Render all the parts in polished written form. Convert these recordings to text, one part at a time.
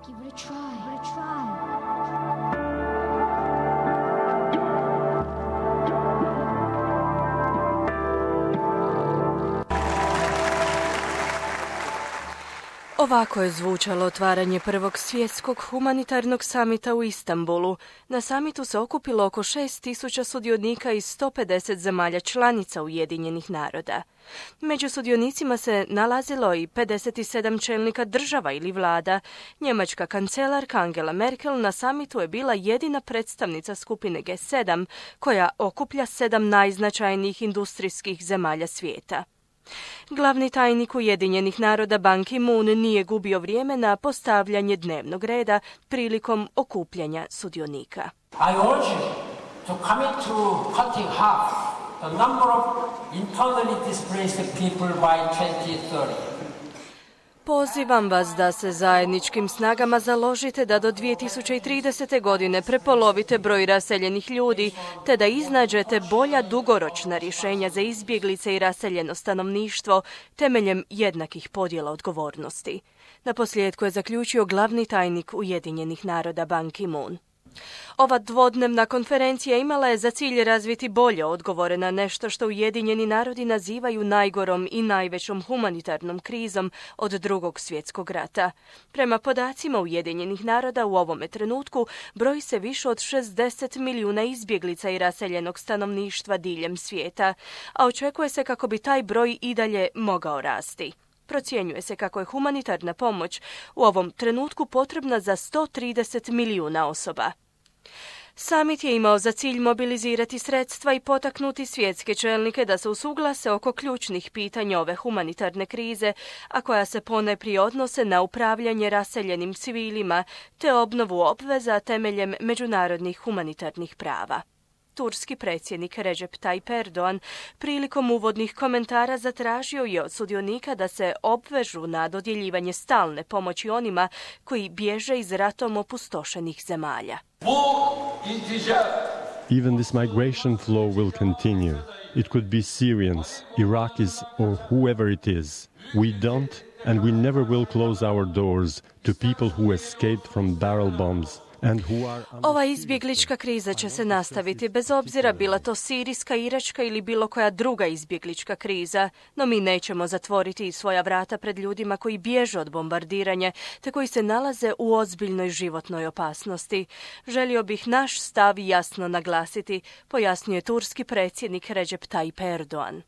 Give it a try. Give it a try. Ovako je zvučalo otvaranje prvog svjetskog humanitarnog samita u Istanbulu. Na samitu se okupilo oko 6.000 sudionika iz 150 zemalja članica Ujedinjenih naroda. Među sudionicima se nalazilo i 57 čelnika država ili vlada. Njemačka kancelarka Angela Merkel na samitu je bila jedina predstavnica skupine G7, koja okuplja 7 najznačajnijih industrijskih zemalja svijeta. Glavni tajnik Ujedinjenih naroda Ban Ki-moon nije gubio vrijeme na postavljanje dnevnog reda prilikom okupljanja sudionika. I urge you to commit to cutting half the number of internally displaced people by 2030. Pozivam vas da se zajedničkim snagama založite da do 2030. godine prepolovite broj raseljenih ljudi, te da iznađete bolja dugoročna rješenja za izbjeglice i raseljeno stanovništvo temeljem jednakih podjela odgovornosti. Naposljetku je zaključio glavni tajnik Ujedinjenih naroda Ban Ki-moon. Ova dvodnevna konferencija imala je za cilj razviti bolje odgovore na nešto što Ujedinjeni narodi nazivaju najgorom i najvećom humanitarnom krizom od Drugog svjetskog rata. Prema podacima Ujedinjenih naroda u ovome trenutku broji se više od 60 milijuna izbjeglica i raseljenog stanovništva diljem svijeta, a očekuje se kako bi taj broj i dalje mogao rasti. Procjenjuje se kako je humanitarna pomoć u ovom trenutku potrebna za 130 milijuna osoba. Samit je imao za cilj mobilizirati sredstva i potaknuti svjetske čelnike da se usuglase oko ključnih pitanja ove humanitarne krize, a koja se ponajprije odnose na upravljanje raseljenim civilima te obnovu obveza temeljem međunarodnih humanitarnih prava. Turski predsjednik Recep Tayyip Erdogan prilikom uvodnih komentara zatražio je od sudionika da se obvežu na dodjeljivanje stalne pomoći onima koji bježe iz ratom opustošenih zemalja. Even this migration flow will continue. It could be Syrians, Iraqis or whoever it is. We don't and we never will close our doors to people who escaped from barrel bombs. Ova izbjeglička kriza će se nastaviti bez obzira bila to sirijska, iračka ili bilo koja druga izbjeglička kriza, no mi nećemo zatvoriti svoja vrata pred ljudima koji bježe od bombardiranja te koji se nalaze u ozbiljnoj životnoj opasnosti. Želio bih naš stav jasno naglasiti, pojasnio je turski predsjednik Recep Tayyip Erdogan.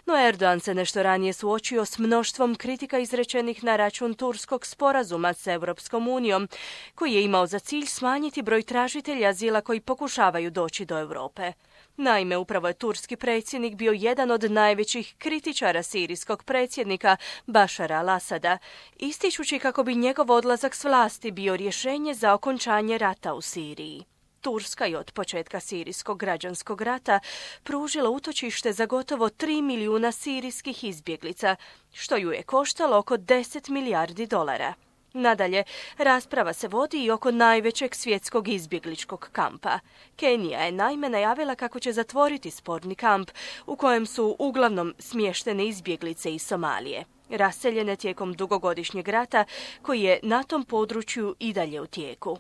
No Erdogan se nešto ranije suočio s mnoštvom kritika izrečenih na račun turskog sporazuma s Europskom unijom, koji je imao za cilj smanjiti broj tražitelja azila koji pokušavaju doći do Europe. Naime, upravo je turski predsjednik bio jedan od najvećih kritičara sirijskog predsjednika Bašara al-Asada, ističući kako bi njegov odlazak s vlasti bio rješenje za okončanje rata u Siriji. Turska je od početka sirijskog građanskog rata pružila utočište za gotovo 3 milijuna sirijskih izbjeglica, što ju je koštalo oko 10 milijardi dolara. Nadalje, rasprava se vodi i oko najvećeg svjetskog izbjegličkog kampa. Kenija je naime najavila kako će zatvoriti sporni kamp u kojem su uglavnom smještene izbjeglice iz Somalije, raseljene tijekom dugogodišnjeg rata koji je na tom području i dalje u tijeku.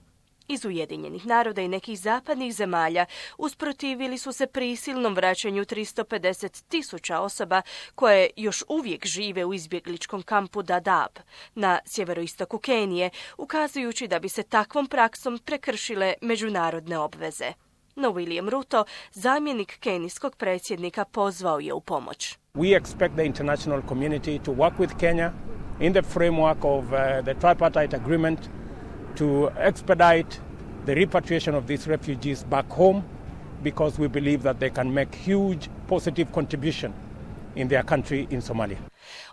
Iz Ujedinjenih naroda i nekih zapadnih zemalja usprotivili su se prisilnom vraćanju 350.000 osoba koje još uvijek žive u izbjegličkom kampu Dadaab na sjeveroistoku Kenije, ukazujući da bi se takvom praksom prekršile međunarodne obveze. No William Ruto, zamjenik kenijskog predsjednika, pozvao je u pomoć. We expect the international community to work with Kenya in the framework of the tripartite agreement to expedite the repatriation of these refugees back home because we believe that they can make huge positive contribution in their country in Somalia.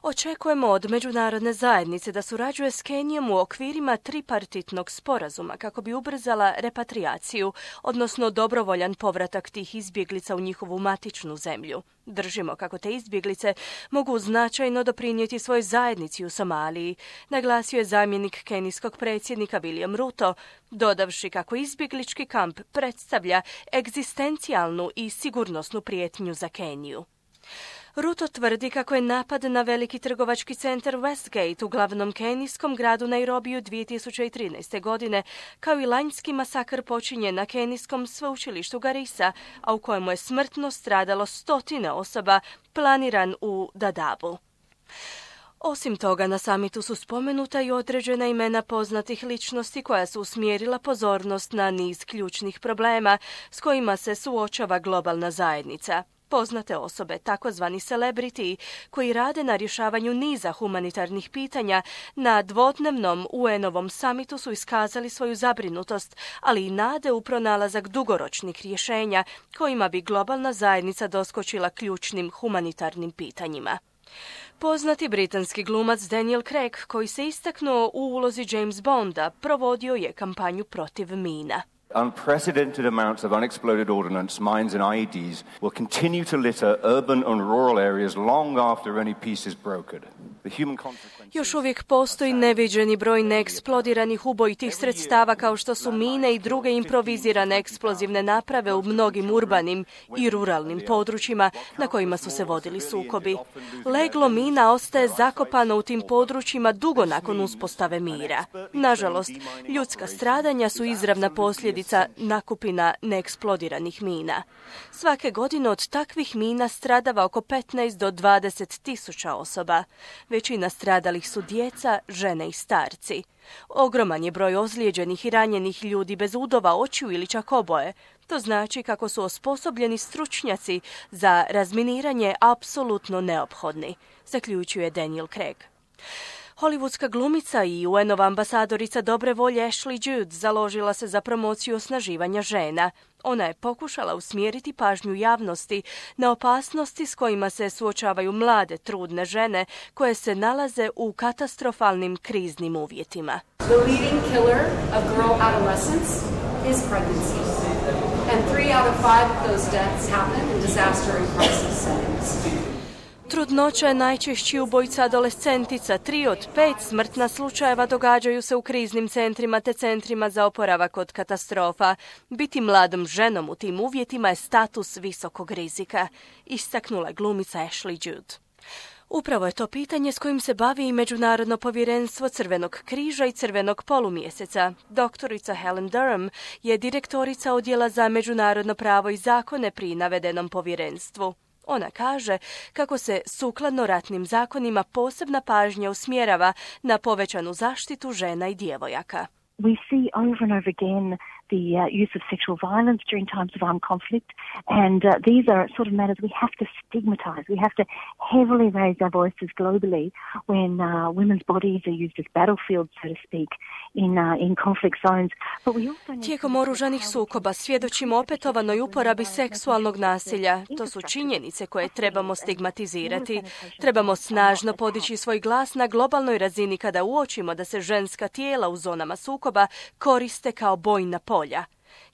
Očekujemo od međunarodne zajednice da surađuje s Kenijom u okvirima tripartitnog sporazuma kako bi ubrzala repatriaciju, odnosno dobrovoljan povratak tih izbjeglica u njihovu matičnu zemlju. Držimo kako te izbjeglice mogu značajno doprinijeti svojoj zajednici u Somaliji, naglasio je zamjenik kenijskog predsjednika William Ruto, dodavši kako izbjeglički kamp predstavlja egzistencijalnu i sigurnosnu prijetnju za Keniju. Ruto tvrdi kako je napad na veliki trgovački centar Westgate u glavnom kenijskom gradu Nairobiju 2013. godine, kao i lanjski masakr počinjen na kenijskom sveučilištu Garissa, a u kojemu je smrtno stradalo 100 osoba, planiran u Dadabu. Osim toga, na samitu su spomenuta i određena imena poznatih ličnosti koja su usmjerila pozornost na niz ključnih problema s kojima se suočava globalna zajednica. Poznate osobe, takozvani celebrity, koji rade na rješavanju niza humanitarnih pitanja, na dvodnevnom UN-ovom samitu su iskazali svoju zabrinutost, ali i nade u pronalazak dugoročnih rješenja kojima bi globalna zajednica doskočila ključnim humanitarnim pitanjima. Poznati britanski glumac Daniel Craig, koji se istaknuo u ulozi James Bonda, provodio je kampanju protiv mina. Unprecedented amounts of unexploded ordnance, mines and IEDs will continue to litter urban and rural areas long after any peace is brokered. Još uvijek postoji neviđeni broj neeksplodiranih ubojitih sredstava kao što su mine i druge improvizirane eksplozivne naprave u mnogim urbanim i ruralnim područjima na kojima su se vodili sukobi. Leglo mina ostaje zakopano u tim područjima dugo nakon uspostave mira. Nažalost, ljudska stradanja su izravna posljedica nakupina neeksplodiranih mina. Svake godine od takvih mina stradava oko 15 do 20 tisuća osoba. Većina stradalih su djeca, žene i starci. Ogroman je broj ozlijeđenih i ranjenih ljudi bez udova, očiju ili čak oboje. To znači kako su osposobljeni stručnjaci za razminiranje apsolutno neophodni, zaključuje Daniel Craig. Hollywoodska glumica i UN-ova ambasadorica dobre volje Ashley Judd založila se za promociju osnaživanja žena. Ona je pokušala usmjeriti pažnju javnosti na opasnosti s kojima se suočavaju mlade, trudne žene koje se nalaze u katastrofalnim kriznim uvjetima. The leading killer of girl adolescence is pregnancy. And 3 out of 5 of those deaths happen in disaster and crisis settings. Trudnoća je najčešći ubojica adolescentica. 3 od 5 smrtna slučajeva događaju se u kriznim centrima te centrima za oporavak od katastrofa. Biti mladom ženom u tim uvjetima je status visokog rizika, istaknula glumica Ashley Judd. Upravo je to pitanje s kojim se bavi i Međunarodno povjerenstvo Crvenog križa i Crvenog polumjeseca. Doktorica Helen Durham je direktorica odjela za međunarodno pravo i zakone pri navedenom povjerenstvu. Ona kaže kako se sukladno ratnim zakonima posebna pažnja usmjerava na povećanu zaštitu žena i djevojaka. We see over and over again the use of sexual violence during times of armed conflict, and these are sort of matters we have to stigmatize. We have to heavily raise our voices globally when women's bodies are used as battlefields, so to speak, in conflict zones. But we also need Tijekom oružanih sukoba svjedočimo opetovanoj uporabi seksualnog nasilja. To su činjenice koje trebamo stigmatizirati. Trebamo snažno podići svoj glas na globalnoj razini kada uočimo da se ženska tijela u zonama sukoba koriste kao bojna polja.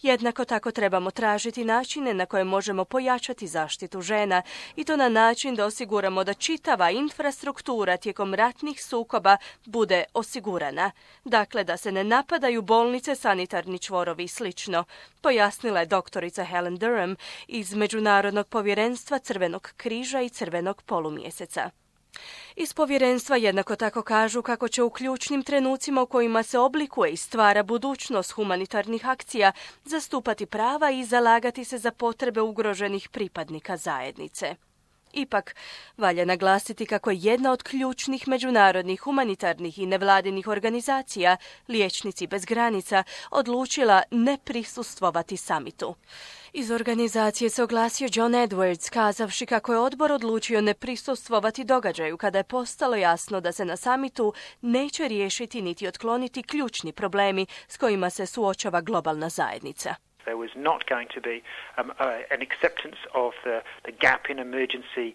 Jednako tako trebamo tražiti načine na koje možemo pojačati zaštitu žena i to na način da osiguramo da čitava infrastruktura tijekom ratnih sukoba bude osigurana. Dakle, da se ne napadaju bolnice, sanitarni čvorovi i slično, pojasnila je doktorica Helen Durham iz Međunarodnog povjerenstva Crvenog križa i Crvenog polumjeseca. Iz povjerenstva jednako tako kažu kako će u ključnim trenucima u kojima se oblikuje i stvara budućnost humanitarnih akcija zastupati prava i zalagati se za potrebe ugroženih pripadnika zajednice. Ipak, valja naglasiti kako je jedna od ključnih međunarodnih humanitarnih i nevladinih organizacija, Liječnici bez granica, odlučila ne prisustvovati samitu. Iz organizacije se oglasio John Edwards, kazavši kako je odbor odlučio ne prisustvovati događaju kada je postalo jasno da se na samitu neće riješiti niti otkloniti ključni problemi s kojima se suočava globalna zajednica. There was not going to be an acceptance of the gap in emergency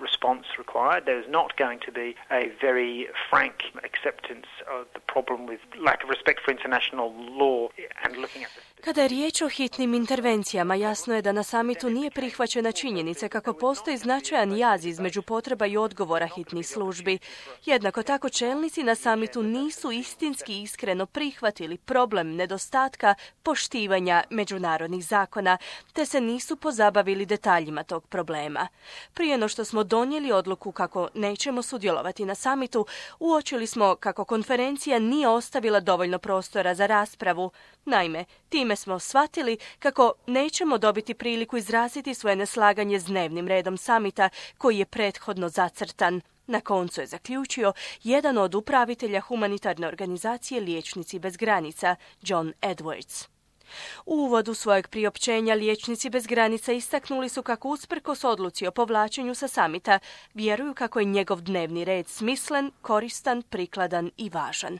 response required. There was not going to be a very frank acceptance of the problem with lack of respect for international law and looking at the... Kada je riječ o hitnim intervencijama, jasno je da na samitu nije prihvaćena činjenica kako postoji značajan jaz između potreba i odgovora hitnih službi. Jednako tako čelnici na samitu nisu istinski iskreno prihvatili problem nedostatka poštivanja međunarodnih zakona, te se nisu pozabavili detaljima tog problema. Prije no što smo donijeli odluku kako nećemo sudjelovati na samitu, uočili smo kako konferencija nije ostavila dovoljno prostora za raspravu. Naime, time smo shvatili kako nećemo dobiti priliku izraziti svoje neslaganje s dnevnim redom samita koji je prethodno zacrtan. Na koncu je zaključio jedan od upravitelja humanitarne organizacije Liječnici bez granica, John Edwards. U uvodu svojeg priopćenja Liječnici bez granica istaknuli su kako usprkos odluci o povlačenju sa samita vjeruju kako je njegov dnevni red smislen, koristan, prikladan i važan.